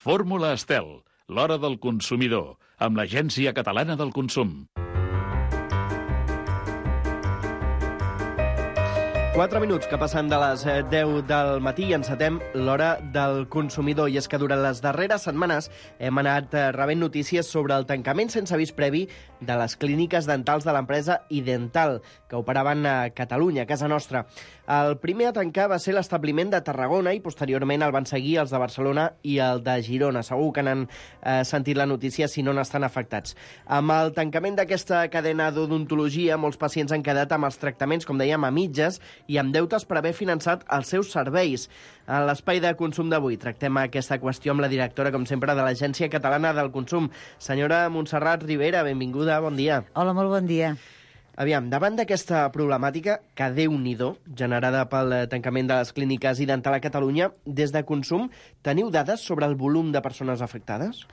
Fórmula Estel, l'hora del consumidor, amb l'Agència Catalana del Consum. 4 minuts que passen de les 10 del matí i encetem l'hora del consumidor. I és que durant les darreres setmanes hem anat rebent notícies sobre el tancament sense avís previ de les clíniques dentals de l'empresa Idental, que operaven a Catalunya, a casa nostra. El primer a tancar va ser l'establiment de Tarragona i posteriorment el van seguir els de Barcelona i el de Girona. Segur que n'han sentit la notícia si no n'estan afectats. Amb el tancament d'aquesta cadena d'odontologia, molts pacients han quedat amb els tractaments, com dèiem, a mitges i amb deutes per haver finançat els seus serveis. En l'espai de consum d'avui tractem aquesta qüestió amb la directora, com sempre, de l'Agència Catalana del Consum. Senyora Montserrat Ribera, benvinguda, bon dia. Hola, molt bon dia. Aviam, davant d'aquesta problemàtica, que Déu-n'hi-do, generada pel tancament de les clíniques Idental a Catalunya, des de Consum, teniu dades sobre el volum de persones afectades?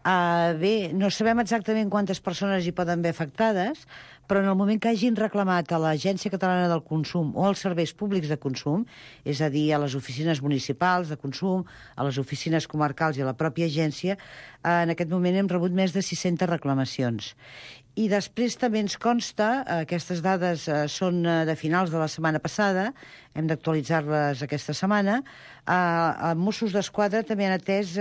Bé, no sabem exactament quantes persones hi poden haver afectades, però en el moment que hagin reclamat a l'Agència Catalana del Consum o als serveis públics de consum, és a dir, a les oficines municipals de consum, a les oficines comarcals i a la pròpia agència, en aquest moment hem rebut més de 600 reclamacions. I després també ens consta, aquestes dades són de finals de la setmana passada, hem d'actualitzar-les aquesta setmana, a Mossos d'Esquadra també han atès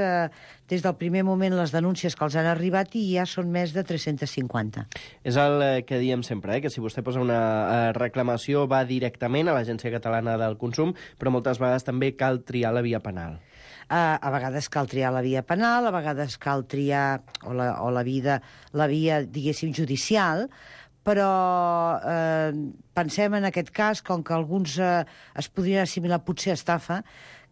des del primer moment les denúncies que els han arribat i ja són més de 350. És el que diem sempre, que si vostè posa una reclamació va directament a l'Agència Catalana del Consum, però moltes vegades també cal triar la via penal. A vegades cal triar la via penal, a vegades cal triar la via, diguéssim, judicial, però pensem en aquest cas, com que alguns es podrien assimilar potser estafa,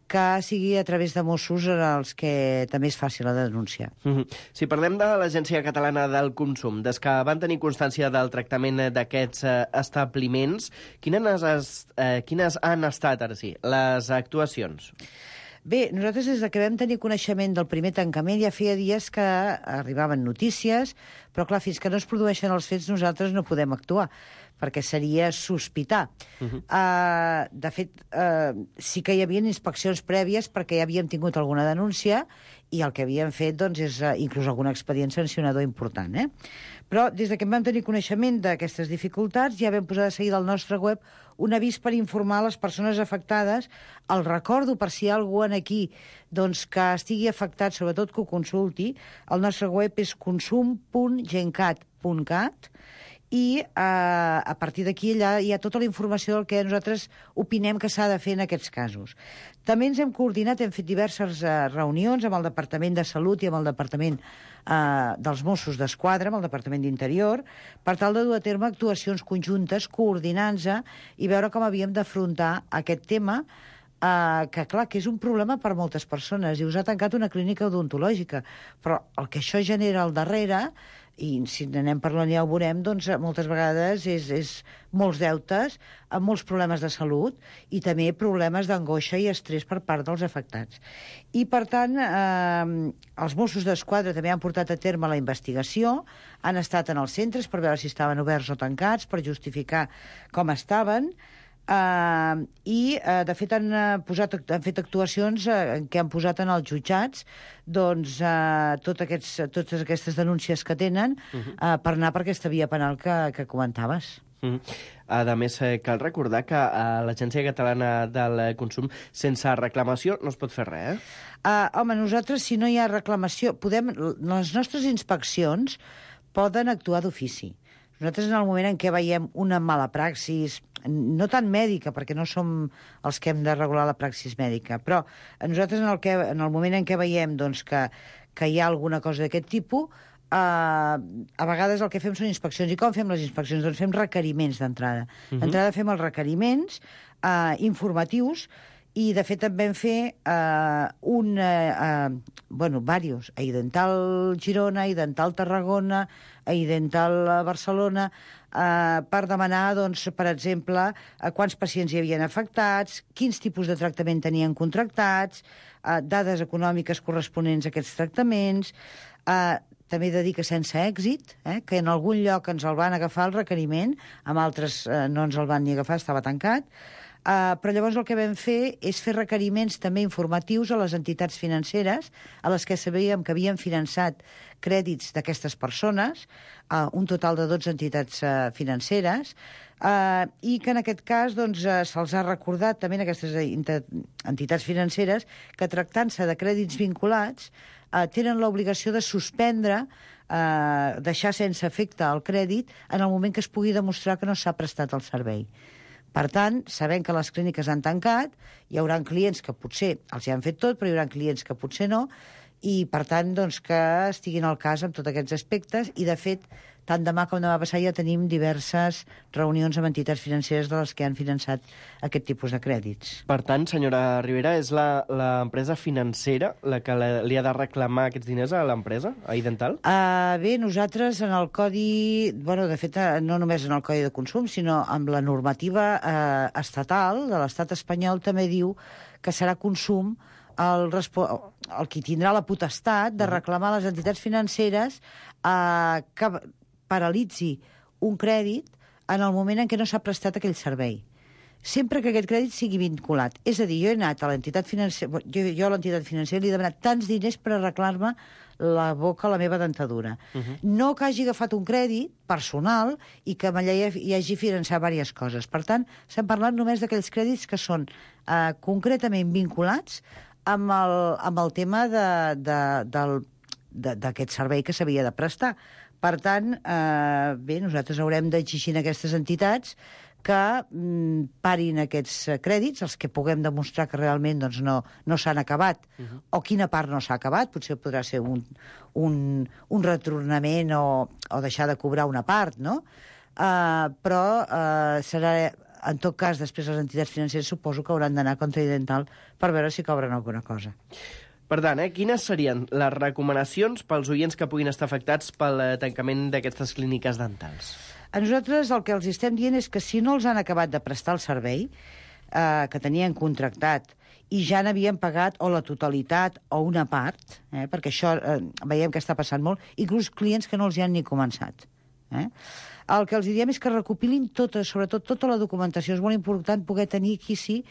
que sigui a través de Mossos els que també és fàcil la denúncia. Si parlem de l'Agència Catalana del Consum, des que van tenir constància del tractament d'aquests establiments, quines han estat, ara sí, les actuacions? Bé, nosaltres des que vam tenir coneixement del primer tancament ja feia dies que arribaven notícies, però clar, fins que no es produeixen els fets nosaltres no podem actuar, perquè seria sospitar. De fet, sí que hi havia inspeccions prèvies perquè ja havíem tingut alguna denúncia i el que havíem fet doncs, és inclús algun expedient sancionador important. Però des que vam tenir coneixement d'aquestes dificultats ja vam posar de seguida al nostre web un avís per informar les persones afectades. El recordo per si hi ha algú aquí doncs, que estigui afectat, sobretot que ho consulti. El nostre web és consum.gencat.cat i a partir d'aquí allà hi ha tota la informació del que nosaltres opinem que s'ha de fer en aquests casos. També ens hem coordinat, hem fet diverses reunions amb el Departament de Salut i amb el Departament dels Mossos d'Esquadra, amb el Departament d'Interior, per tal de dur a terme actuacions conjuntes, coordinant-se i veure com havíem d'afrontar aquest tema, que clar, que és un problema per moltes persones, i us ha tancat una clínica odontològica, però el que això genera al darrere, i si n'anem parlant ja ho veurem, doncs moltes vegades és molts deutes, amb molts problemes de salut i també problemes d'angoixa i estrès per part dels afectats. I per tant, els Mossos d'Esquadra també han portat a terme la investigació, han estat en els centres per veure si estaven oberts o tancats, per justificar com estaven, i de fet han fet actuacions en què han posat en els jutjats doncs, totes aquestes denúncies que tenen per anar per aquesta via penal que comentaves. A més, cal recordar que a l'Agència Catalana del Consum sense reclamació no es pot fer res, Home, nosaltres si no hi ha reclamació les nostres inspeccions poden actuar d'ofici. Nosaltres, en el moment en què veiem una mala praxis, no tant mèdica, perquè no som els que hem de regular la praxis mèdica, però nosaltres, en el moment en què veiem doncs, que hi ha alguna cosa d'aquest tipus, a vegades el que fem són inspeccions. I com fem les inspeccions? Doncs fem requeriments d'entrada. D'entrada fem els requeriments informatius, i de fet en vam fer diversos, a Idental Girona, a Idental Tarragona, a Idental Barcelona, per demanar, doncs, per exemple, quants pacients hi havien afectats, quins tipus de tractament tenien contractats, dades econòmiques corresponents a aquests tractaments. També he de dir que sense èxit, que en algun lloc ens el van agafar el requeriment, amb altres no ens el van ni agafar, estava tancat. Però llavors el que vam fer és fer requeriments també informatius a les entitats financeres, a les que sabíem que havien finançat crèdits d'aquestes persones, un total de 12 entitats financeres, i que en aquest cas se'ls ha recordat també a aquestes entitats financeres que tractant-se de crèdits vinculats tenen l'obligació de suspendre, deixar sense efecte el crèdit en el moment que es pugui demostrar que no s'ha prestat el servei. Per tant, sabent que les clíniques han tancat, hi haurà clients que potser els hi han fet tot, però hi haurà clients que potser no, i per tant que estiguin al cas amb tots aquests aspectes, i de fet, tant demà com demà passat ja tenim diverses reunions amb entitats financeres de les que han finançat aquest tipus de crèdits. Per tant, senyora Rivera, és l'empresa financera la que li ha de reclamar aquests diners a l'empresa, a Idental? Bé, nosaltres en el codi... de fet, no només en el codi de consum, sinó amb la normativa estatal de l'estat espanyol també diu que serà consum el qui tindrà la potestat de reclamar a les entitats financeres que paralitzi un crèdit en el moment en què no s'ha prestat aquell servei. Sempre que aquest crèdit sigui vinculat. És a dir, jo he anat a l'entitat financera, jo a l'entitat financera li he demanat tants diners per arreglar-me la boca a la meva dentadura. No que hagi agafat un crèdit personal i que hi hagi finançat diverses coses. Per tant, estem parlant només d'aquells crèdits que són concretament vinculats amb el tema d'aquest servei que s'havia de prestar. Per tant, bé, nosaltres haurem d'exigir a aquestes entitats que parin aquests crèdits, els que puguem demostrar que realment no s'han acabat, o quina part no s'ha acabat, potser podrà ser un retornament o deixar de cobrar una part, no? Però serà, en tot cas, després les entitats financeres suposo que hauran d'anar contra Idental per veure si cobren alguna cosa. Per tant, quines serien les recomanacions pels oients que puguin estar afectats pel tancament d'aquestes clíniques dentals? A nosaltres el que els estem dient és que si no els han acabat de prestar el servei que tenien contractat i ja n'havien pagat o la totalitat o una part, perquè això veiem que està passant molt, inclús clients que no els hi han ni començat. El que els diem és que recopilin sobretot tota la documentació. És molt important poder tenir aquí sí.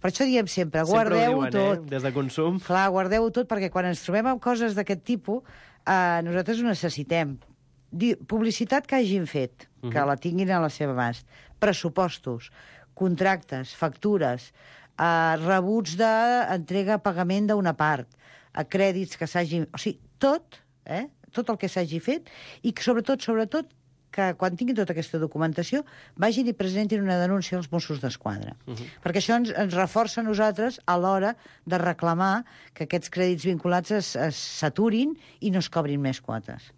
Per això diem sempre, guardeu-ho tot. Des de consum. Clar, guardeu-ho tot, perquè quan ens trobem amb coses d'aquest tipus, nosaltres ho necessitem. Publicitat que hagin fet, que la tinguin a la seva abast. Pressupostos, contractes, factures, rebuts d'entrega a pagament d'una part, crèdits que s'hagin... O sigui, tot el que s'hagi fet, i sobretot, que quan tinguin tota aquesta documentació vagin i presentin una denúncia als Mossos d'Esquadra. Perquè això ens reforça a nosaltres a l'hora de reclamar que aquests crèdits vinculats s'aturin i no es cobrin més quotes.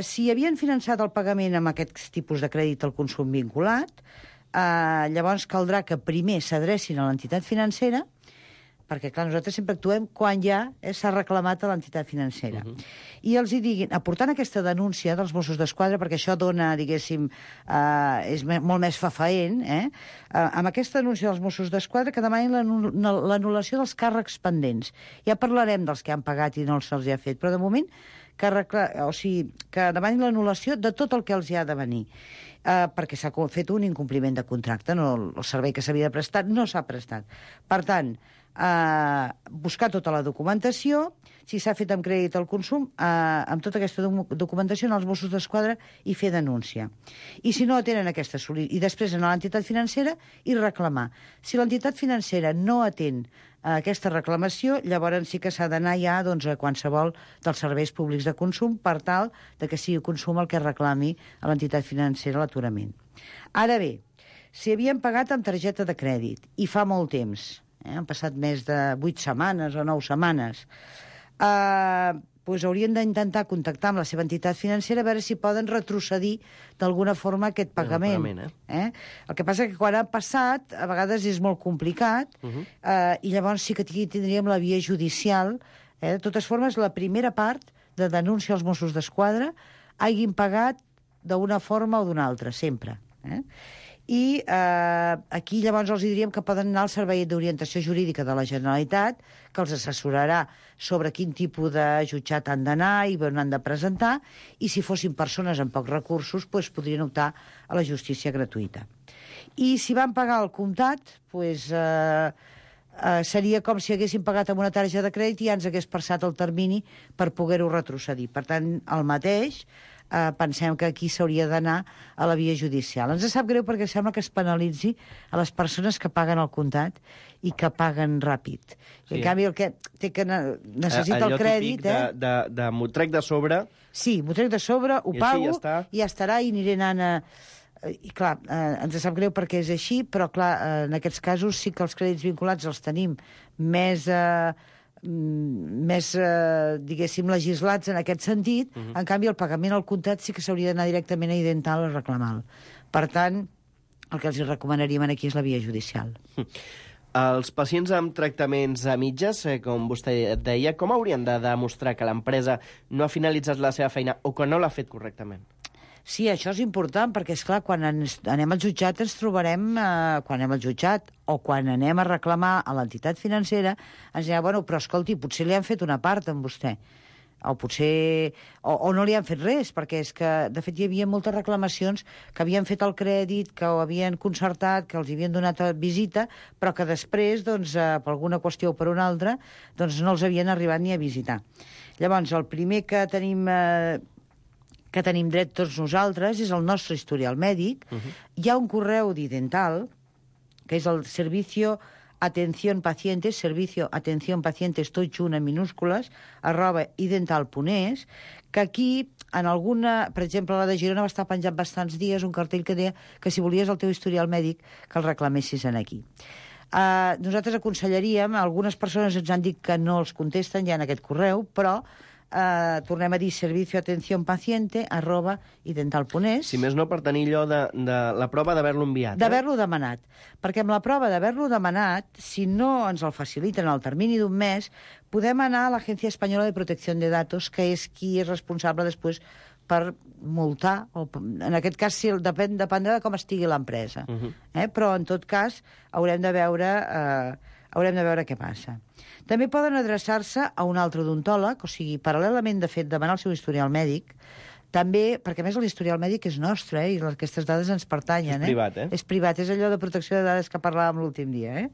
Si havien finançat el pagament amb aquests tipus de crèdit al consum vinculat, llavors caldrà que primer s'adrecin a l'entitat financera, perquè, clar, nosaltres sempre actuem quan ja s'ha reclamat a l'entitat financera. I els hi diguin, aportant aquesta denúncia dels Mossos d'Esquadra, perquè això dona, diguéssim, és molt més fafaent, amb aquesta denúncia dels Mossos d'Esquadra que demanin l'anul·lació dels càrrecs pendents. Ja parlarem dels que han pagat i no se'ls ha fet, però de moment que demanin l'anul·lació de tot el que els hi ha de venir. Perquè s'ha fet un incompliment de contracte, el servei que s'havia de prestar no s'ha prestat. Per tant, buscar tota la documentació, si s'ha fet amb crèdit al consum, amb tota aquesta documentació als Mossos d'Esquadra i fer denúncia. I si no tenen aquesta i després anar a l'entitat financera i reclamar. Si l'entitat financera no atén aquesta reclamació, llavors sí que s'ha d'anar ja a qualsevol dels serveis públics de consum per tal que sigui consum el que reclami a l'entitat financera l'aturament. Ara bé, si havien pagat amb targeta de crèdit i fa molt temps, han passat més de 8 setmanes o 9 setmanes, doncs haurien d'intentar contactar amb la seva entitat financera a veure si poden retrocedir d'alguna forma aquest pagament. El que passa que quan ha passat, a vegades és molt complicat, i llavors sí que tindríem la via judicial. De totes formes, la primera part de denúncia als Mossos d'Esquadra hagin pagat d'una forma o d'una altra, sempre. I aquí llavors els diríem que poden anar al Servei d'Orientació Jurídica de la Generalitat, que els assessorarà sobre quin tipus de jutjat han d'anar i on han de presentar, i si fossin persones amb pocs recursos, doncs podrien optar a la justícia gratuïta. I si van pagar el comptat, doncs, seria com si haguessin pagat amb una targeta de crèdit i ja ens hagués passat el termini per poder-ho retrocedir. Per tant, el mateix, pensem que aquí s'hauria d'anar a la via judicial. Ens sap greu perquè sembla que es penalitzi a les persones que paguen el comptat i que paguen ràpid. Sí. En canvi, el que té que necessita el crèdit... De m'ho trec de sobre... Sí, m'ho trec de sobre, ho pago, i ja estarà, i aniré anant a... I clar, ens sap greu perquè és així, però clar, en aquests casos sí que els crèdits vinculats els tenim més diguéssim, legislats en aquest sentit. En canvi, el pagament al comptat sí que s'hauria d'anar directament a Idental a reclamar-lo. Per tant, el que els recomanaríem aquí és la via judicial. Els pacients amb tractaments a mitges, com vostè deia, com haurien de demostrar que l'empresa no ha finalitzat la seva feina o que no l'ha fet correctament? Sí, això és important, perquè, esclar, quan anem al jutjat ens trobarem, quan anem al jutjat o quan anem a reclamar a l'entitat financera, ens dirà, bueno, però escolti, potser li han fet una part amb vostè, o potser... o no li han fet res, perquè és que, de fet, hi havia moltes reclamacions que havien fet el crèdit, que ho havien concertat, que els havien donat visita, però que després, doncs, per alguna qüestió o per una altra, doncs no els havien arribat ni a visitar. Llavors, el primer que tenim dret tots nosaltres és el nostre historial mèdic. Hi ha un correu d'Idental, que és el Servicio Atención Pacientes, Servicio Atención Pacientes, tot junt en minúscules, @idental.es, que aquí, en alguna... Per exemple, la de Girona va estar penjat bastants dies un cartell que deia que si volies el teu historial mèdic que el reclamessis en aquí. Nosaltres aconsellaríem, algunes persones ens han dit que no els contesten ja en aquest correu, però tornem a dir servicio atención paciente @idental.es. Si més no, per tenir allò de la prova d'haver-lo enviat. D'haver-lo demanat. Perquè amb la prova d'haver-lo demanat, si no ens el faciliten al termini d'un mes, podem anar a l'Agència Espanyola de Protecció de Datos, que és qui és responsable després per multar, o en aquest cas sí, dependrà de com estigui l'empresa. Però en tot cas haurem de veure què passa. També poden adreçar-se a un altre odontòleg, o sigui, paral·lelament, de fet, demanar el seu historial mèdic, també, perquè a més l'historial mèdic és nostre, i aquestes dades ens pertanyen. És privat, És privat, és allò de protecció de dades que parlàvem l'últim dia.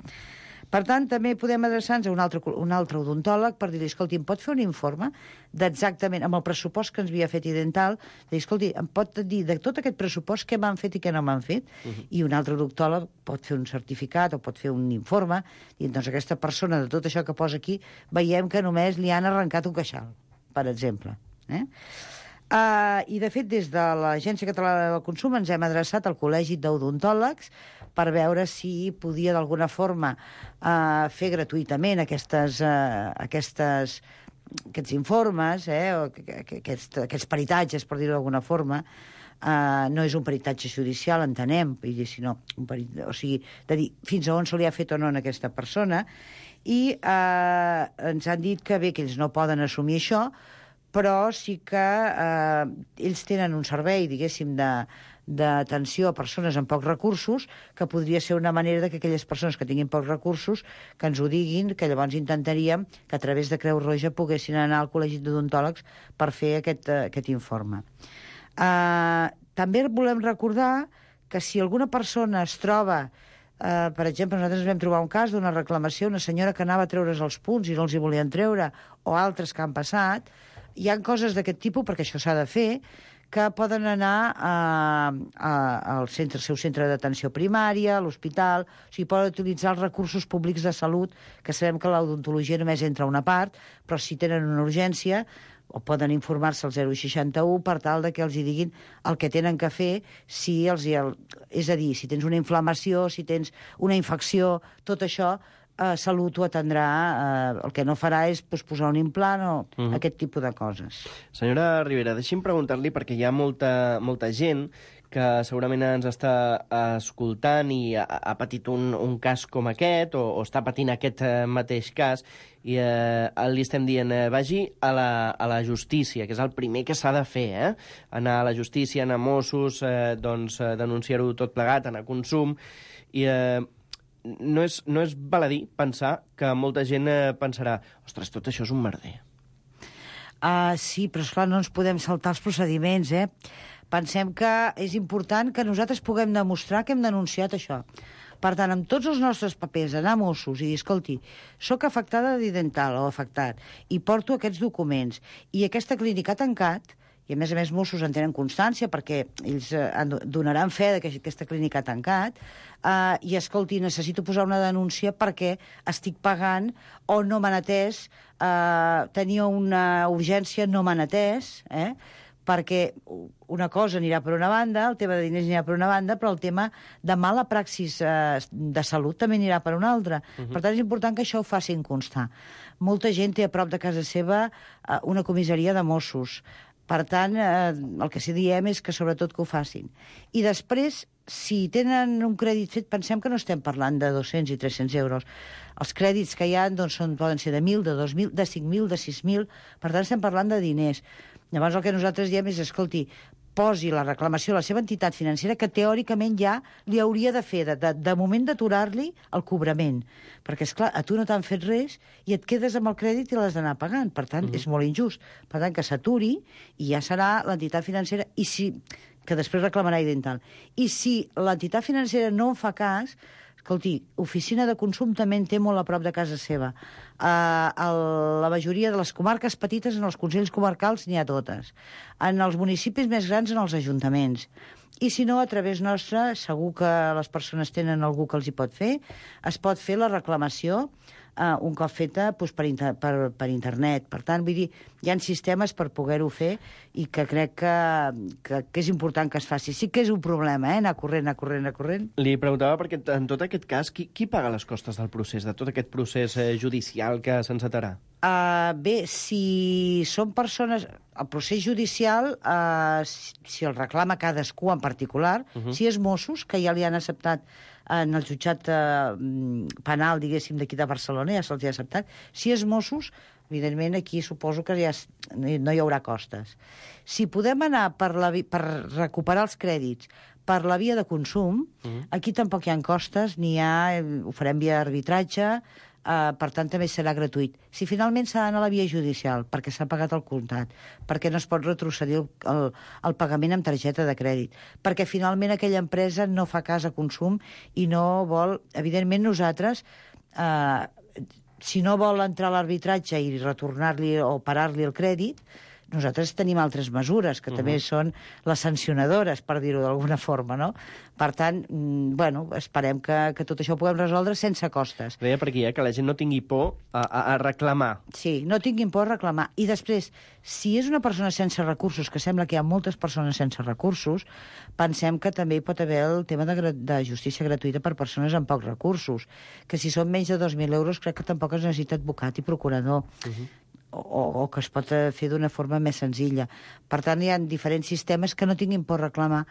Per tant, també podem adreçar-nos a un altre odontòleg per dir-li, escolti, em pot fer un informe d'exactament, amb el pressupost que ens havia fet Idental, dir, escolti, em pot dir de tot aquest pressupost què m'han fet i què no m'han fet, i un altre odontòleg pot fer un certificat o pot fer un informe, i doncs aquesta persona, de tot això que posa aquí, veiem que només li han arrencat un queixal, per exemple. I, de fet, des de l'Agència Catalana del Consum ens hem adreçat al Col·legi d'Odontòlegs per veure si podia d'alguna forma fer gratuïtament aquests informes, o aquests peritatges, per dir-ho d'alguna forma. No és un peritatge judicial, entenem, sinó o sigui, de dir fins a on se li ha fet o no a aquesta persona, i ens han dit que bé, que ells no poden assumir això, però sí que ells tenen un servei, diguéssim, d'atenció a persones amb pocs recursos, que podria ser una manera que aquelles persones que tinguin pocs recursos que ens ho diguin, que llavors intentaríem que a través de Creu Roja poguessin anar al Col·legi d'Odontòlegs per fer aquest informe. També volem recordar que si alguna persona es troba, per exemple, nosaltres vam trobar un cas d'una reclamació, una senyora que anava a treure's els punts i no els hi volien treure, o altres que han passat, hi ha coses d'aquest tipus, perquè això s'ha de fer, que poden anar al seu centre d'atenció primària, a l'hospital, o sigui, poden utilitzar els recursos públics de salut, que sabem que l'odontologia només entra una part, però si tenen una urgència, o poden informar-se al 061 per tal de que els hi diguin el que tenen que fer, és a dir, si tens una inflamació, si tens una infecció, tot això, Salut ho atendrà, el que no farà és posar un implant o aquest tipus de coses. Senyora Ribera, deixi'm preguntar-li, perquè hi ha molta gent que segurament ens està escoltant i ha patit un cas com aquest, o està patint aquest mateix cas, i li estem dient, vagi a la justícia, que és el primer que s'ha de fer, anar a la justícia, anar a Mossos, denunciar-ho tot plegat, anar a Consum, i no és baladí pensar que molta gent pensarà, ostres, tot això és un merder. Sí, però esclar, no ens podem saltar els procediments, Pensem que és important que nosaltres puguem demostrar que hem denunciat això. Per tant, amb tots els nostres papers, anar a Mossos i dir, escolti, soc afectada dental o afectat, i porto aquests documents, i aquesta clínica ha tancat, i a més Mossos en tenen constància perquè ells donaran fe que aquesta clínica ha tancat, i escolti, necessito posar una denúncia perquè estic pagant o no m'han atès, tenia una urgència, no m'han atès, perquè una cosa anirà per una banda, el tema de diners anirà per una banda, però el tema de mala praxis de salut també anirà per una altra. Per tant, és important que això ho facin constar. Molta gent té a prop de casa seva una comissaria de Mossos. Per tant, el que sí diem és que sobretot que ho facin. I després, si tenen un crèdit fet, pensem que no estem parlant de 200 i 300 euros. Els crèdits que hi ha poden ser de 1.000, de 2.000, de 5.000, de 6.000. Per tant, estem parlant de diners. Llavors, el que nosaltres diem és, escolti, posi la reclamació a la seva entitat financera, que teòricament ja li hauria de fer, de moment d'aturar-li el cobrament. Perquè, esclar, a tu no t'han fet res i et quedes amb el crèdit i l'has d'anar pagant. Per tant, és molt injust. Per tant, que s'aturi i ja serà l'entitat financera, que després reclamarà Dental. I si l'entitat financera no en fa cas, escolti, Oficina de Consum també en té molt a prop de casa seva. La majoria de les comarques petites, en els consells comarcals, n'hi ha totes. En els municipis més grans, en els ajuntaments. I si no, a través nostra, segur que les persones tenen algú que els hi pot fer, es pot fer la reclamació un cop feta per internet. Per tant, vull dir, hi ha sistemes per poder-ho fer i que crec que és important que es faci. Sí que és un problema, anar corrent. Li preguntava perquè en tot aquest cas, qui paga les costes del procés, de tot aquest procés judicial que s'encetarà? Bé, si són persones... El procés judicial, si el reclama cadascú en particular, si és Mossos, que ja li han acceptat en el jutjat penal, diguéssim, d'aquí de Barcelona, ja se'ls ha acceptat, si és Mossos, evidentment aquí suposo que ja no hi haurà costes. Si podem anar per recuperar els crèdits per la via de Consum, aquí tampoc hi ha costes, ho farem via arbitratge, per tant també serà gratuït. Si finalment s'ha d'anar a la via judicial perquè s'ha pagat el comptat, perquè no es pot retrocedir el pagament amb targeta de crèdit, perquè finalment aquella empresa no fa cas a Consum i no vol... Evidentment nosaltres, si no vol entrar a l'arbitratge i retornar-li o parar-li el crèdit, nosaltres tenim altres mesures, que també són les sancionadores, per dir-ho d'alguna forma, no? Per tant, esperem que tot això ho puguem resoldre sense costes. Deia per aquí, que la gent no tingui por a reclamar. Sí, no tinguin por a reclamar. I després, si és una persona sense recursos, que sembla que hi ha moltes persones sense recursos, pensem que també hi pot haver el tema de justícia gratuïta per persones amb pocs recursos, que si són menys de 2.000 euros crec que tampoc es necessita advocat i procurador. O que es pot fer d'una forma més senzilla. Per tant, hi ha diferents sistemes que no tinguin por a reclamar,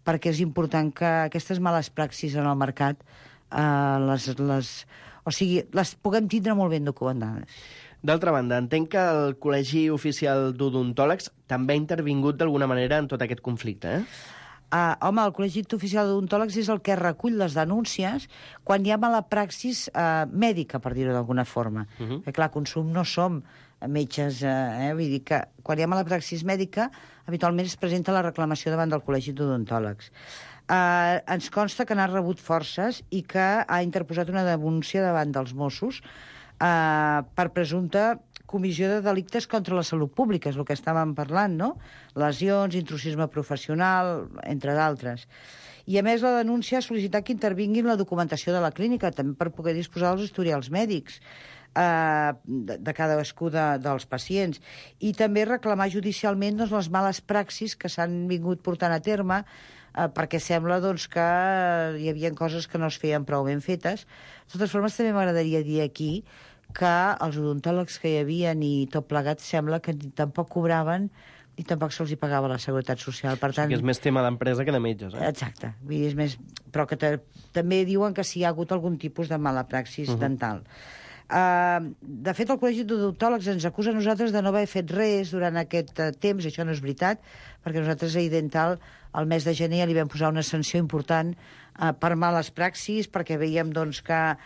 perquè és important que aquestes males praxis en el mercat les puguem tindre molt ben documentades. D'altra banda, entenc que el Col·legi Oficial d'Odontòlegs també ha intervingut d'alguna manera en tot aquest conflicte, Home, el Col·legi Oficial d'Odontòlegs és el que recull les denúncies quan hi ha mala praxis mèdica, per dir-ho d'alguna forma. Perquè, clar, Consum no som metges, vull dir que quan hi ha mala praxis mèdica, habitualment es presenta la reclamació davant del Col·legi d'Odontòlegs. Ens consta que n'ha rebut forces i que ha interposat una denúncia davant dels Mossos per presumpta comissió de delictes contra la salut pública, és el que estàvem parlant, no? Lesions, intrusisme professional, entre d'altres. I, a més, la denúncia ha sol·licitat que intervingui en la documentació de la clínica, també per poder disposar dels historials mèdics de cadascú dels pacients. I també reclamar judicialment les males praxis que s'han vingut portant a terme, perquè sembla que hi havia coses que no es feien prou ben fetes. De totes formes, també m'agradaria dir aquí que els odontòlegs que hi havia i tot plegat sembla que tampoc cobraven i tampoc se'ls hi pagava la Seguretat Social. Per tant, que és més tema d'empresa que de metges, eh? Exacte. Vull dir, és més... Però que també diuen que si hi ha hagut algun tipus de mala praxis dental. De fet, el Col·legi d'Odontòlegs ens acusa a nosaltres de no haver fet res durant aquest temps, i això no és veritat, perquè nosaltres a Idental al mes de gener ja li vam posar una sanció important per males praxis, perquè veiem doncs, que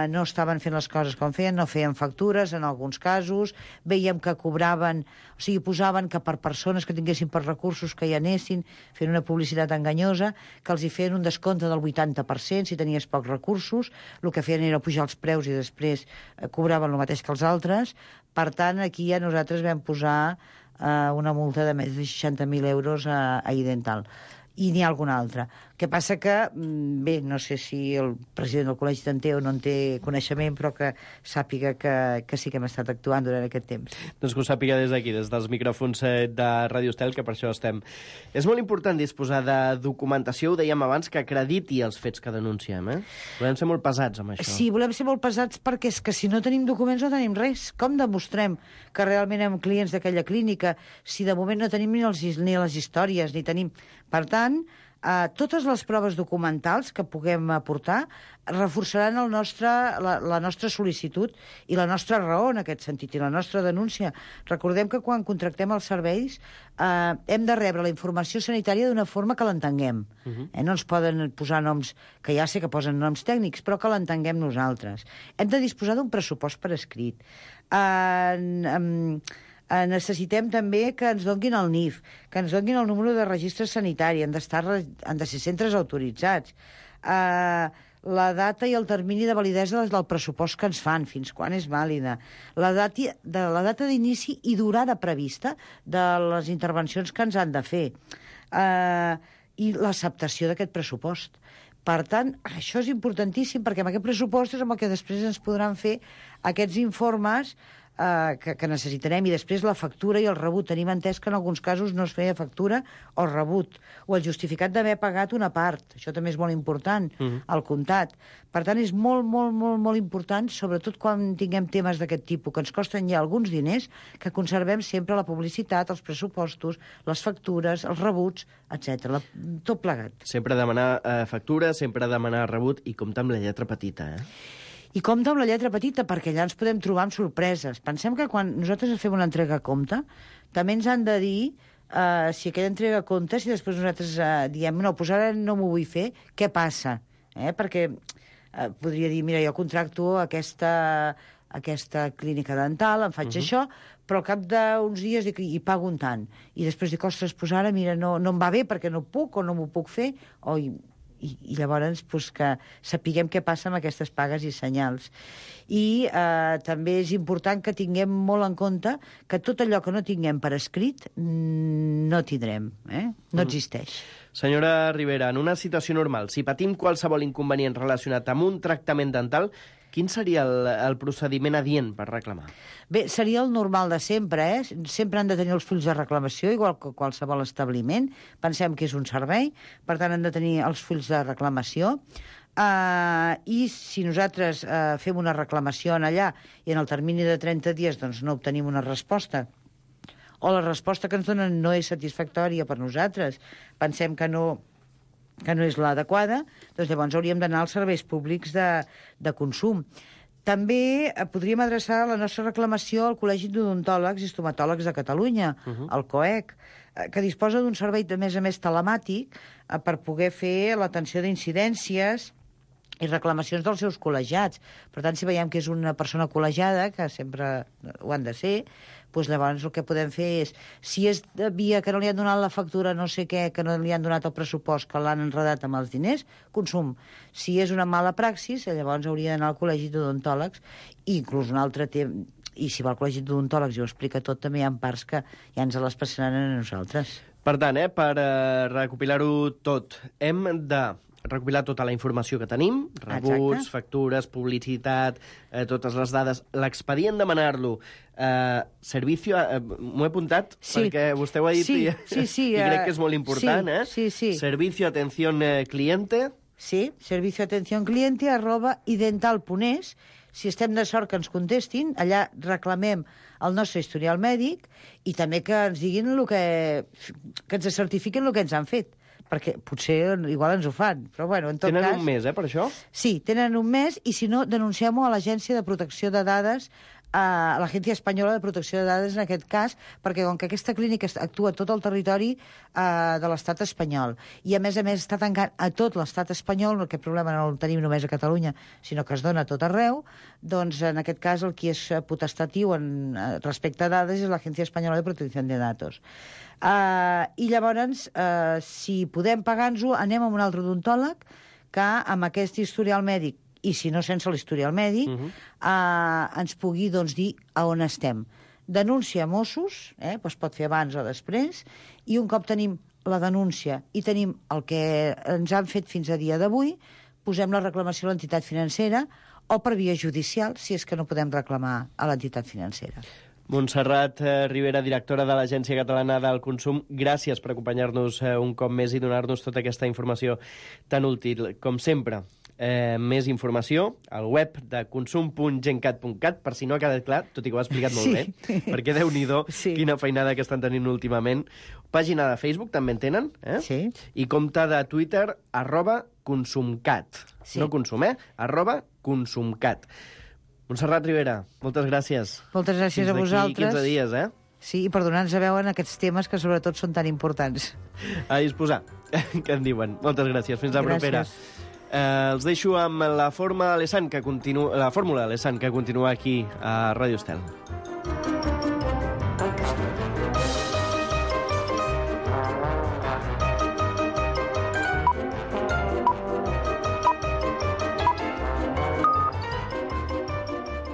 no estaven fent les coses com feien, no feien factures en alguns casos, veiem que cobraven, o sigui, posaven que per persones que tinguessin per recursos que hi anessin, fent una publicitat enganyosa, que els hi feien un descompte del 80% si tenies pocs recursos, el que feien era pujar els preus i després cobraven el mateix que els altres. Per tant, aquí ja nosaltres vam posar una multa de més de 60.000 euros a Idental. I n'hi ha alguna altra. El que passa que, bé, no sé si el president del col·legi en té o no en té coneixement, però que sàpiga que sí que hem estat actuant durant aquest temps. Doncs que ho sàpiga des d'aquí, des dels micròfons de Ràdio Estel, que per això estem. És molt important disposar de documentació, ho dèiem abans, que acrediti els fets que denunciem, eh? Volem ser molt pesats amb això. Sí, volem ser molt pesats perquè és que si no tenim documents no tenim res. Com demostrem que realment hem clients d'aquella clínica si de moment no tenim ni les històries, ni tenim... Per tant, totes les proves documentals que puguem aportar reforçaran la nostra sol·licitud i la nostra raó en aquest sentit, i la nostra denúncia. Recordem que quan contractem els serveis hem de rebre la informació sanitària d'una forma que l'entenguem. No ens poden posar noms, que ja sé que posen noms tècnics, però que l'entenguem nosaltres. Hem de disposar d'un pressupost per escrit. Necessitem també que ens donguin el NIF, que ens donguin el número de registre sanitari, han de ser centres autoritzats, la data i el termini de validesa del pressupost que ens fan, fins quan és vàlida, la data d'inici i durada prevista de les intervencions que ens han de fer, i l'acceptació d'aquest pressupost. Per tant, això és importantíssim, perquè amb aquest pressupost és amb el que després ens podran fer aquests informes que necessitarem, i després la factura i el rebut. Tenim entès que en alguns casos no es feia factura o rebut, o el justificat d'haver pagat una part. Això també és molt important, el comptat. Per tant, és molt, molt, molt, molt important, sobretot quan tinguem temes d'aquest tipus, que ens costen ja alguns diners, que conservem sempre la publicitat, els pressupostos, les factures, els rebuts, etc. Tot plegat. Sempre demanar factura, sempre demanar rebut, i compta amb la lletra petita, eh? I compta amb la lletra petita, perquè allà ens podem trobar amb sorpreses. Pensem que quan nosaltres fem una entrega a compte, també ens han de dir si aquella entrega a compte, si després nosaltres diem no, doncs ara no m'ho vull fer, què passa? Perquè podria dir, mira, jo contracto aquesta clínica dental, em faig això, però al cap d'uns dies dic, i pago un tant. I després dic, ostres, doncs ara, mira, no em va bé perquè no puc o no m'ho puc fer, i llavors que sapiguem què passa amb aquestes pagues i senyals. I també és important que tinguem molt en compte que tot allò que no tinguem per escrit no tindrem, no existeix. Senyora Ribera, en una situació normal, si patim qualsevol inconvenient relacionat amb un tractament dental, quin seria el procediment adient per reclamar? Bé, seria el normal de sempre, Sempre han de tenir els fulls de reclamació, igual que qualsevol establiment. Pensem que és un servei, per tant han de tenir els fulls de reclamació. I si nosaltres fem una reclamació allà i en el termini de 30 dies doncs, no obtenim una resposta, o la resposta que ens donen no és satisfactòria per nosaltres, pensem que no és l'adequada, doncs llavors hauríem d'anar als serveis públics de consum. També podríem adreçar la nostra reclamació al Col·legi d'Odontòlegs i Estomatòlegs de Catalunya, el COEC, que disposa d'un servei, a més telemàtic, per poder fer l'atenció d'incidències i reclamacions dels seus col·legiats. Per tant, si veiem que és una persona col·legiada, que sempre ho han de ser, doncs llavors el que podem fer és, si és de via que no li han donat la factura no sé què, que no li han donat el pressupost, que l'han enredat amb els diners, consum. Si és una mala praxis, llavors hauria d'anar al Col·legi d'Odontòlegs, i inclús un altre tema, i si va al Col·legi d'Odontòlegs i ho explica tot, també hi ha parts que ja ens les passaran a nosaltres. Per tant, per recopilar-ho tot, hem de recopilar tota la informació que tenim, rebuts, factures, publicitat, totes les dades, l'expedient demanar-lo, servicio, m'ho he apuntat perquè vostè ho ha dit i crec que és molt important, servicio atención cliente. Sí, servicio atención cliente @idental.es. si estem de sort que ens contestin, allà reclamem el nostre historial mèdic i també que ens diguin que ens certifiquin el que ens han fet, perquè potser igual ens ho fan, però bueno, en tot cas... Tenen un mes, per això? Sí, tenen un mes, i si no, denunciem-ho a l'Agència de Protecció de Dades, a l'Agència Espanyola de Protecció de Dades en aquest cas, perquè com que aquesta clínica actua a tot el territori de l'estat espanyol, i a més està tancant a tot l'estat espanyol, aquest problema no el tenim només a Catalunya, sinó que es dona a tot arreu, doncs en aquest cas el qui és potestatiu respecte a dades és l'Agència Espanyola de Protecció de Datos. I llavors, si podem pagar-nos-ho, anem a un altre odontòleg que amb aquest historial mèdic, i si no sense l'historial mèdic, ens pugui dir a on estem. Denúncia a Mossos, es pot fer abans o després, i un cop tenim la denúncia i tenim el que ens han fet fins a dia d'avui, posem la reclamació a l'entitat financera o per via judicial, si és que no podem reclamar a l'entitat financera. Montserrat Ribera, directora de l'Agència Catalana del Consum, gràcies per acompanyar-nos un cop més i donar-nos tota aquesta informació tan útil. Com sempre, més informació al web de consum.gencat.cat, per si no ha quedat clar, tot i que ho ha explicat molt bé, perquè Déu-n'hi-do, quina feinada que estan tenint últimament. Pàgina de Facebook també en tenen, Sí. I compte de Twitter, @consumcat. Sí. No consum, @consumcat. Montserrat Ribera, moltes gràcies. Moltes gràcies a vosaltres. Fins d'aquí 15 dies, Sí, i per donar-nos a veure en aquests temes que sobretot són tan importants. A disposar, que en diuen. Moltes gràcies, fins la propera. Els deixo amb la fórmula Alessand que continua aquí a Ràdio Estel.